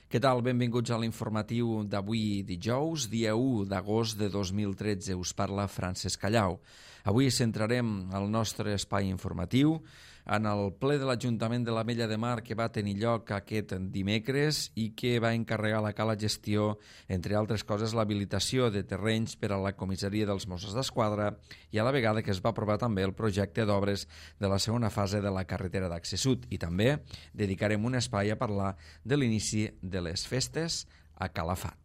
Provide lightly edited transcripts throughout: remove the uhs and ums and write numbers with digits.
Què tal? Benvinguts a l'informatiu d'avui dijous, dia 1 d'agost de 2013. Us parla Francesc Callau. Avui centrarem el nostre espai informatiu en el ple de l'Ajuntament de l'Ametlla de Mar que va tenir lloc aquest dimecres i que va encarregar la Cala Gestió, entre altres coses, l'habilitació de terrenys per a la comissaria dels Mossos d'Esquadra i a la vegada que es va aprovar també el projecte d'obres de la segona fase de la carretera d'accés sud. I també dedicarem un espai a parlar de l'inici de les festes a Calafat.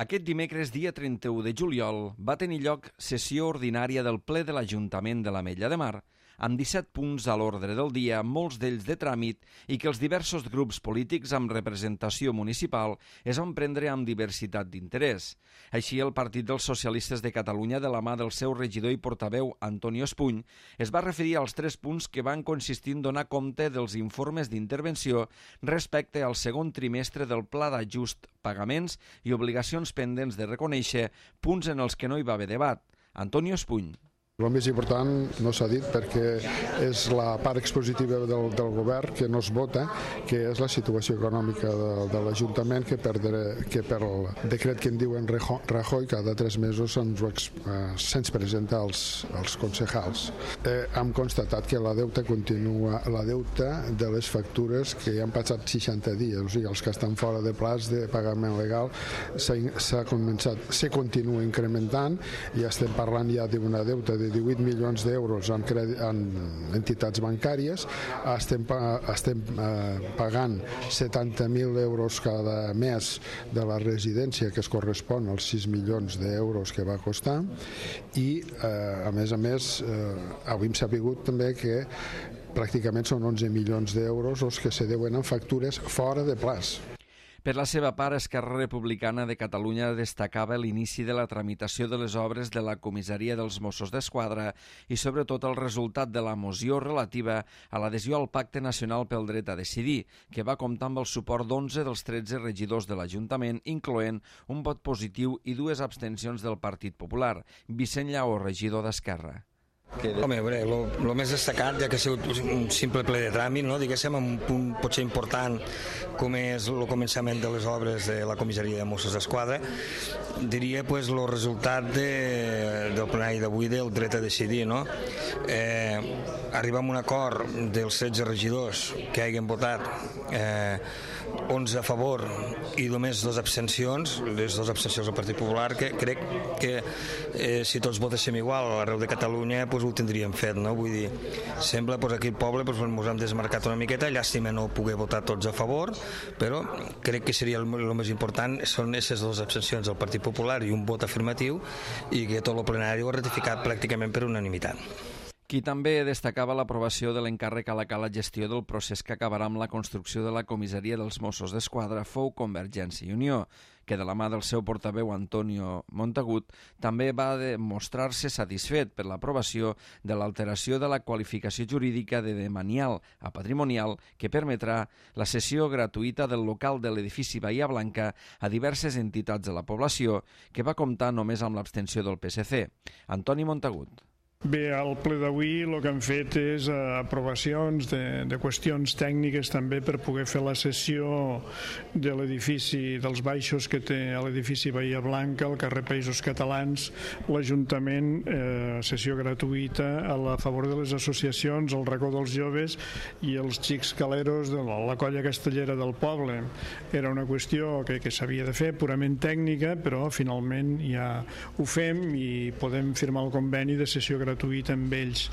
Aquest dimecres, dia 31 de juliol, va tenir lloc sessió ordinària del ple de l'Ajuntament de l'Ametlla de Mar, amb 17 punts a l'ordre del dia, molts d'ells de tràmit, i que els diversos grups polítics amb representació municipal es van prendre amb diversitat d'interès. Així, el Partit dels Socialistes de Catalunya, de la mà del seu regidor i portaveu Antonio Espuny, es va referir als 3 punts que van consistir en donar compte dels informes d'intervenció respecte al segon trimestre del Pla d'Ajust, pagaments i obligacions pendents de reconèixer, punts en els que no hi va haver debat. Antonio Espuny. El més important no s'ha dit perquè és la part expositiva del govern que no es vota, que és la situació econòmica de l'Ajuntament, que per el decret que en diuen Rajoy cada 3 mesos se'ns presenta als concejals. Hem constatat que la deuta continua, la deuta de les factures que ja han passat 60 dies, o sigui, els que estan fora de plaç de pagament legal se continua incrementant i estem parlant ja d'una deuta de 18 milions d'euros en entitats bancàries. Estem pagant 70.000 euros cada mes de la residència, que es correspon als 6 milions d'euros que va costar, i a més, avui hem sabut també que pràcticament són 11 milions d'euros els que se deuen en factures fora de plaç. Per la seva part, Esquerra Republicana de Catalunya destacava l'inici de la tramitació de les obres de la comissaria dels Mossos d'Esquadra i sobretot el resultat de la moció relativa a l'adhesió al Pacte Nacional pel Dret a Decidir, que va comptar amb el suport d'11 dels 13 regidors de l'Ajuntament, incloent un vot positiu i 2 abstencions del Partit Popular. Vicent Lleó, regidor d'Esquerra. Home, el més destacat, ja que ha sigut un simple ple de tràmit, no? Diguéssim, amb un punt potser important com és el començament de les obres de la comissaria de Mossos d'Esquadra, diria el resultat del plenari d'avui del dret a decidir, no? Arribar a un acord dels 16 regidors que hagin votat 11 a favor i només 2 abstencions, les 2 abstencions del Partit Popular, que crec que si tots votéssim igual arreu de Catalunya ho tindríem fet, no? Vull dir, sembla aquí al poble ens hem desmarcat una miqueta, llàstima no poder votar tots a favor, però crec que seria el més important són aquestes 2 abstencions del Partit Popular i un vot afirmatiu, i que tot el plenari ho ha ratificat pràcticament per unanimitat. Qui també destacava l'aprovació de l'encàrrec a la Cala Gestió del procés que acabarà amb la construcció de la comissaria dels Mossos d'Esquadra fou Convergència i Unió, que de la mà del seu portaveu Antonio Montagut també va demostrar-se satisfet per l'aprovació de l'alteració de la qualificació jurídica de demanial a patrimonial que permetrà la cessió gratuïta del local de l'edifici Bahia Blanca a diverses entitats de la població, que va comptar només amb l'abstenció del PSC. Antoni Montagut. Bé, al ple d'avui el que hem fet és aprovacions de qüestions tècniques també per poder fer la cessió de l'edifici dels baixos que té l'edifici Bahia Blanca, al carrer Països Catalans, l'Ajuntament, cessió gratuïta a favor de les associacions, el racó dels joves i els xics caleros de la colla castellera del poble. Era una qüestió que s'havia de fer purament tècnica, però finalment ja ho fem i podem firmar el conveni de cessió gratuïta amb ells.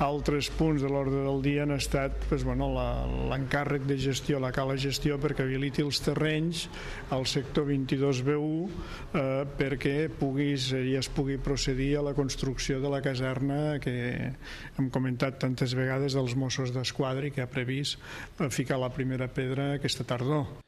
Altres punts de l'ordre del dia han estat l'encàrrec de gestió, la Cala Gestió, perquè habiliti els terrenys al sector 22B1 perquè es pugui procedir a la construcció de la caserna que hem comentat tantes vegades dels Mossos d'Esquadra i que ha previst ficar la primera pedra aquesta tardor.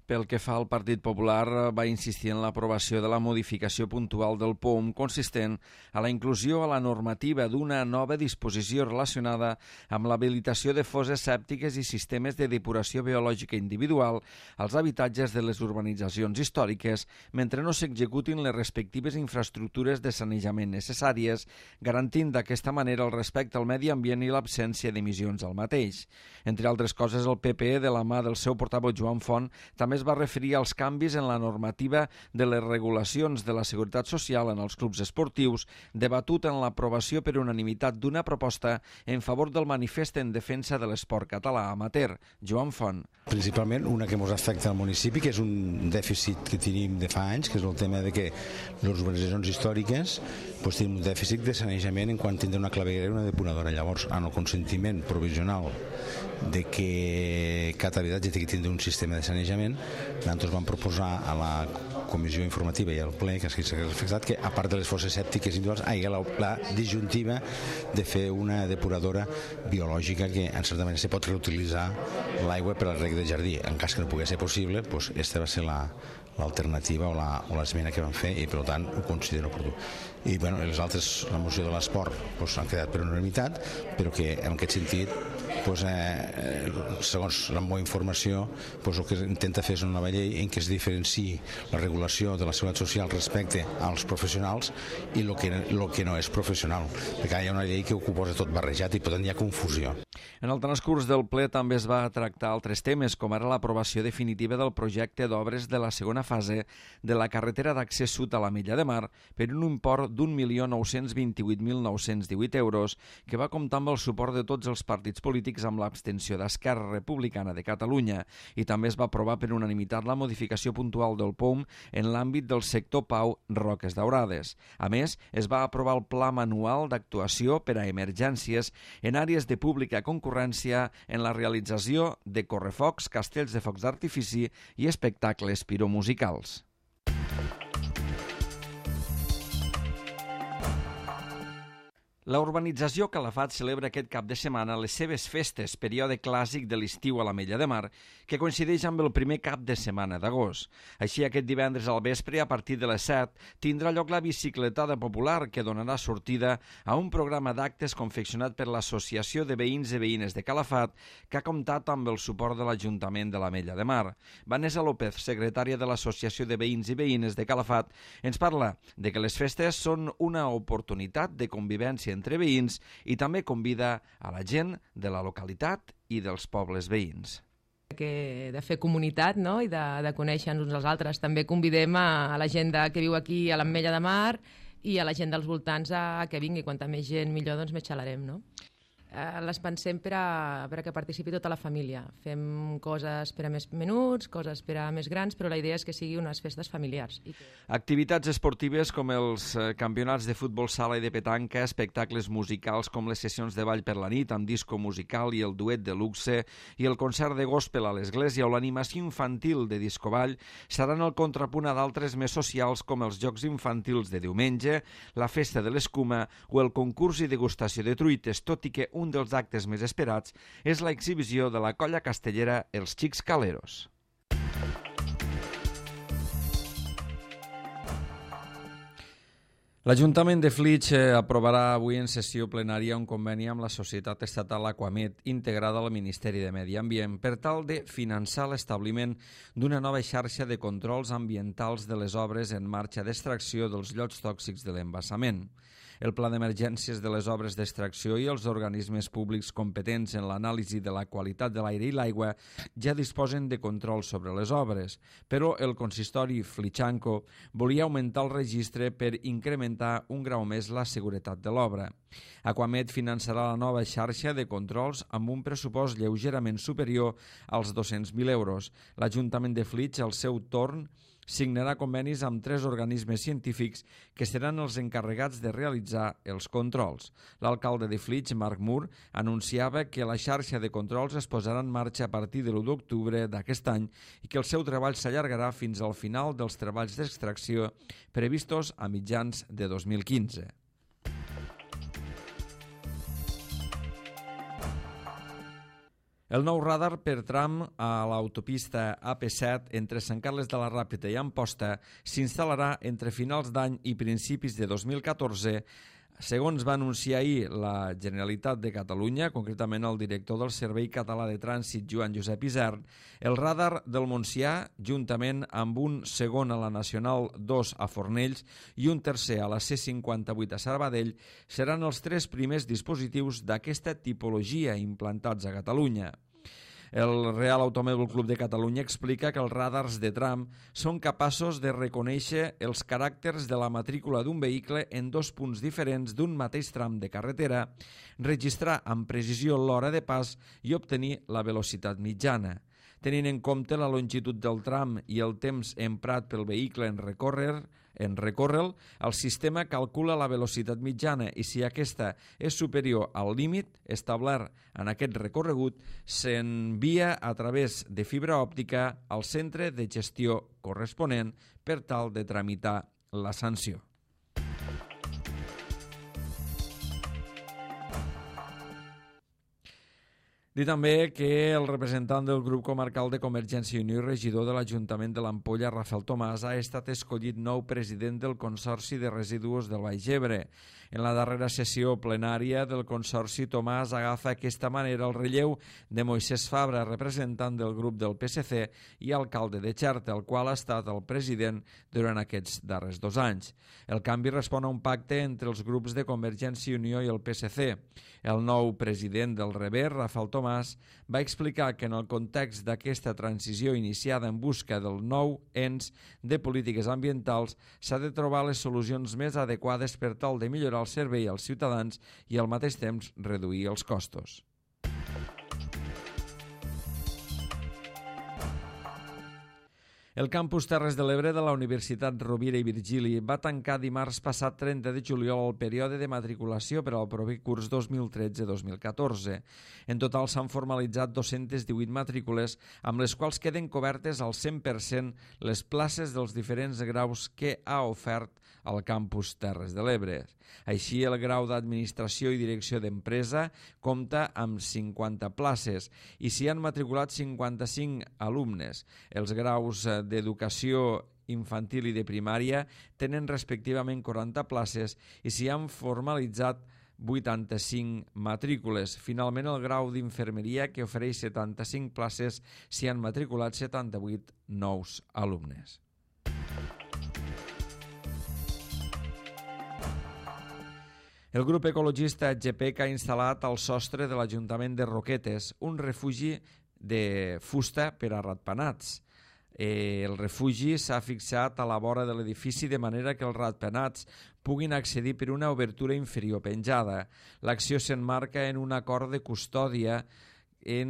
Pel que fa al Partit Popular, va insistir en l'aprovació de la modificació puntual del POUM consistent a la inclusió a la normativa d'una nova disposició relacionada amb l'habilitació de fosses sèptiques i sistemes de depuració biològica individual als habitatges de les urbanitzacions històriques mentre no s'executin les respectives infraestructures de sanejament necessàries, garantint d'aquesta manera el respecte al medi ambient i l'absència d'emissions al mateix. Entre altres coses, el PP, de la mà del seu portaveu Joan Font, també es va referir als canvis en la normativa de les regulacions de la Seguretat Social en els clubs esportius, debatut en l'aprovació per unanimitat d'una proposta en favor del manifest en defensa de l'esport català amateur. Joan Font. Principalment una que ens afecta al municipi, que és un dèficit que tenim de fa anys, que és el tema de que les urbanitzacions històriques tenim un dèficit de sanejament en quan tindrà una claveguera i una depuradora. Llavors, en el consentiment provisional de que cada habitatge tingui que tindre un sistema de sanejament, nosaltres vam proposar a la comissió informativa i al ple que s'ha reflectat que a part de les fosses sèptiques individuals hi ha la disjuntiva de fer una depuradora biològica que en certa manera se pot reutilitzar l'aigua per al reg de jardí. En cas que no pugui ser possible, aquesta va ser l'alternativa o l'esmena que vam fer i per tant ho considero oportú. I les altres, la moció de l'esport han quedat per unanimitat, però que en aquest sentit segons la meva informació el que intenta fer és una nova llei en què es diferenciï la regulació de la seguretat social respecte als professionals i el que no és professional, perquè hi ha una llei que ho posa tot barrejat i per tant hi ha confusió. En el transcurs del ple també es va tractar altres temes, com ara l'aprovació definitiva del projecte d'obres de la segona fase de la carretera d'accés sud a l'Ametlla de Mar per un import d'1.928.918 euros, que va comptar amb el suport de tots els partits polítics amb l'abstenció d'Esquerra Republicana de Catalunya, i també es va aprovar per unanimitat la modificació puntual del POUM en l'àmbit del sector Pau Roques Daurades. A més, es va aprovar el Pla Manual d'Actuació per a Emergències en àrees de pública concurrència en la realització de correfocs, castells de focs d'artifici i espectacles piromusicals. La urbanització Calafat celebra aquest cap de setmana les seves festes, període clàssic de l'estiu a l'Ametlla de Mar, que coincideix amb el primer cap de setmana d'agost. Així, aquest divendres al vespre, a partir de les 7, tindrà lloc la bicicletada popular, que donarà sortida a un programa d'actes confeccionat per l'Associació de Veïns i Veïnes de Calafat, que ha comptat amb el suport de l'Ajuntament de l'Ametlla de Mar. Vanessa López, secretària de l'Associació de Veïns i Veïnes de Calafat, ens parla de que les festes són una oportunitat de convivència entre veïns i també convida a la gent de la localitat i dels pobles veïns. De fer comunitat, no? I de conèixer-nos uns als altres. També convidem a la gent que viu aquí a l'Ametlla de Mar i a la gent dels voltants a que vingui. Quanta més gent millor, doncs més xalarem, no? Les pensem per a que participi tota la família. Fem coses per a més menuts, coses per a més grans, però la idea és que sigui unes festes familiars. Activitats esportives com els campionats de futbol sala i de petanca, espectacles musicals com les sessions de ball per la nit amb disco musical i el duet de luxe i el concert de gospel a l'església o l'animació infantil de discoball seran el contrapunt a d'altres més socials com els jocs infantils de diumenge, la festa de l'escuma o el concurs i degustació de truites, tot i que un dels actes més esperats és l'exhibició de la colla castellera Els Xics Caleros. L'Ajuntament de Flix aprovarà avui en sessió plenària un conveni amb la Societat Estatal Aquamed integrada al Ministeri de Medi Ambient per tal de finançar l'establiment d'una nova xarxa de controls ambientals de les obres en marxa d'extracció dels llots tòxics de l'embassament. El pla d'emergències de les obres d'extracció i els organismes públics competents en l'anàlisi de la qualitat de l'aire i l'aigua ja disposen de control sobre les obres, però el consistori flixanco volia augmentar el registre per incrementar un grau més la seguretat de l'obra. Aquamed finançarà la nova xarxa de controls amb un pressupost lleugerament superior als 200.000 euros. L'Ajuntament de Flix, al seu torn, signarà convenis amb 3 organismes científics que seran els encarregats de realitzar els controls. L'alcalde de Flix, Marc Mur, anunciava que la xarxa de controls es posarà en marxa a partir de l'1 d'octubre d'aquest any i que el seu treball s'allargarà fins al final dels treballs d'extracció previstos a mitjans de 2015. El nou radar per tram a l'autopista AP7 entre Sant Carles de la Ràpita i Amposta s'instal·larà entre finals d'any i principis de 2014. Segons va anunciar ahir la Generalitat de Catalunya, concretament el director del Servei Català de Trànsit, Joan Josep Isern, el radar del Montsià, juntament amb un segon a la Nacional 2 a Fornells i un tercer a la C58 a Sabadell, seran els 3 primers dispositius d'aquesta tipologia implantats a Catalunya. El Real Automòbil Club de Catalunya explica que els radars de tram són capaços de reconèixer els caràcters de la matrícula d'un vehicle en 2 punts diferents d'un mateix tram de carretera, registrar amb precisió l'hora de pas i obtenir la velocitat mitjana. Tenint en compte la longitud del tram i el temps emprat pel vehicle en recórrer-lo, el sistema calcula la velocitat mitjana i si aquesta és superior al límit establert en aquest recorregut, s'envia a través de fibra òptica al centre de gestió corresponent per tal de tramitar la sanció. Dir també que el representant del grup comarcal de Convergència i Unió i regidor de l'Ajuntament de l'Ampolla, Rafael Tomàs, ha estat escollit nou president del Consorci de Residus del Baix Ebre. En la darrera sessió plenària del Consorci, Tomàs agafa aquesta manera el relleu de Moisès Fabra, representant del grup del PSC i alcalde de Xerta, el qual ha estat el president durant aquests darrers 2 anys. El canvi respon a un pacte entre els grups de Convergència i Unió i el PSC. El nou president del Rever, Rafael Tomàs, va explicar que en el context d'aquesta transició iniciada en busca del nou ens de polítiques ambientals s'ha de trobar les solucions més adequades per tal de millorar el servei als ciutadans i al mateix temps reduir els costos. El campus Terres de l'Ebre de la Universitat Rovira i Virgili va tancar dimarts passat 30 de juliol el període de matriculació per al proper curs 2013-2014. En total s'han formalitzat 218 matrícules, amb les quals queden cobertes al 100% les places dels diferents graus que ha ofert al campus Terres de l'Ebre. Així, el grau d'Administració i Direcció d'Empresa compta amb 50 places i s'hi han matriculat 55 alumnes. Els graus d'Educació Infantil i de Primària tenen respectivament 40 places i s'hi han formalitzat 85 matrícules. Finalment, el grau d'Infermeria, que ofereix 75 places, s'hi han matriculat 78 nous alumnes. El grup ecologista GPEC ha instal·lat al sostre de l'Ajuntament de Roquetes un refugi de fusta per a ratpenats. El refugi s'ha fixat a la vora de l'edifici de manera que els ratpenats puguin accedir per una obertura inferior penjada. L'acció s'emmarca en un acord de custòdia que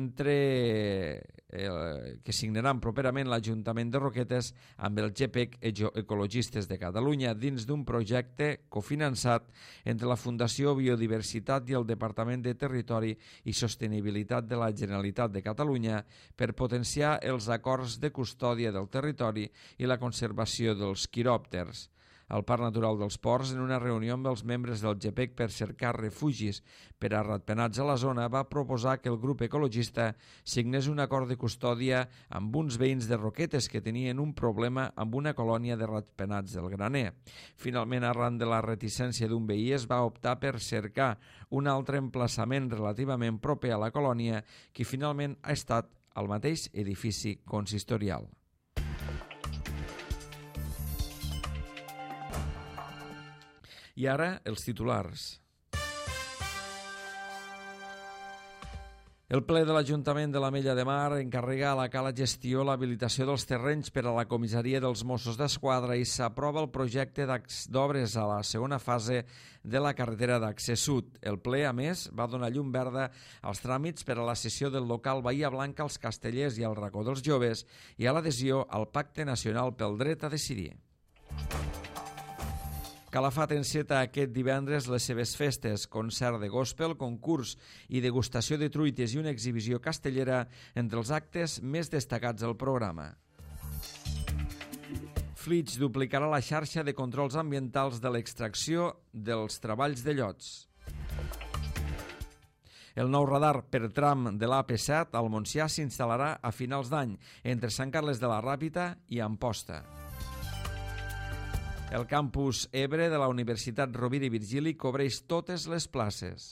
signaran properament l'Ajuntament de Roquetes amb el GPEC Ecologistes de Catalunya dins d'un projecte cofinançat entre la Fundació Biodiversitat i el Departament de Territori i Sostenibilitat de la Generalitat de Catalunya per potenciar els acords de custòdia del territori i la conservació dels quiròpters. Al Parc Natural dels Ports, en una reunió amb els membres del GPEC per cercar refugis per a ratpenats a la zona, va proposar que el grup ecologista signés un acord de custòdia amb uns veïns de Roquetes que tenien un problema amb una colònia de ratpenats del graner. Finalment, arran de la reticència d'un veí, es va optar per cercar un altre emplaçament relativament proper a la colònia, que finalment ha estat al mateix edifici consistorial. I ara, els titulars. El ple de l'Ajuntament de l'Ametlla de Mar encarrega a la Cala Gestió l'habilitació dels terrenys per a la comissaria dels Mossos d'Esquadra i s'aprova el projecte d'obres a la segona fase de la carretera d'accés sud. El ple, a més, va donar llum verda als tràmits per a la cessió del local Bahia Blanca als Castellers i al Racó dels Joves i a l'adhesió al Pacte Nacional pel Dret a Decidir. Calafat enceta aquest divendres les seves festes, concert de gospel, concurs i degustació de truites i una exhibició castellera entre els actes més destacats del programa. Flix duplicarà la xarxa de controls ambientals de l'extracció dels treballs de llots. El nou radar per tram de l'AP7 al Montsià s'instal·larà a finals d'any entre Sant Carles de la Ràpita i Amposta. El campus Ebre de la Universitat Rovira i Virgili cobreix totes les places.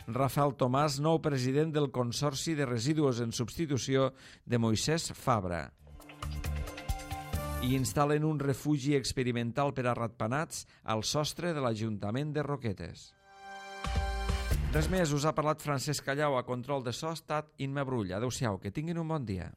Rafael Tomàs, nou president del Consorci de Residus en substitució de Moisès Fabra. I instal·len un refugi experimental per a ratpenats al sostre de l'Ajuntament de Roquetes. Res més, us ha parlat Francesc Callau, a control de so ha estat Imma Brull. Adéu-siau, que tinguin un bon dia.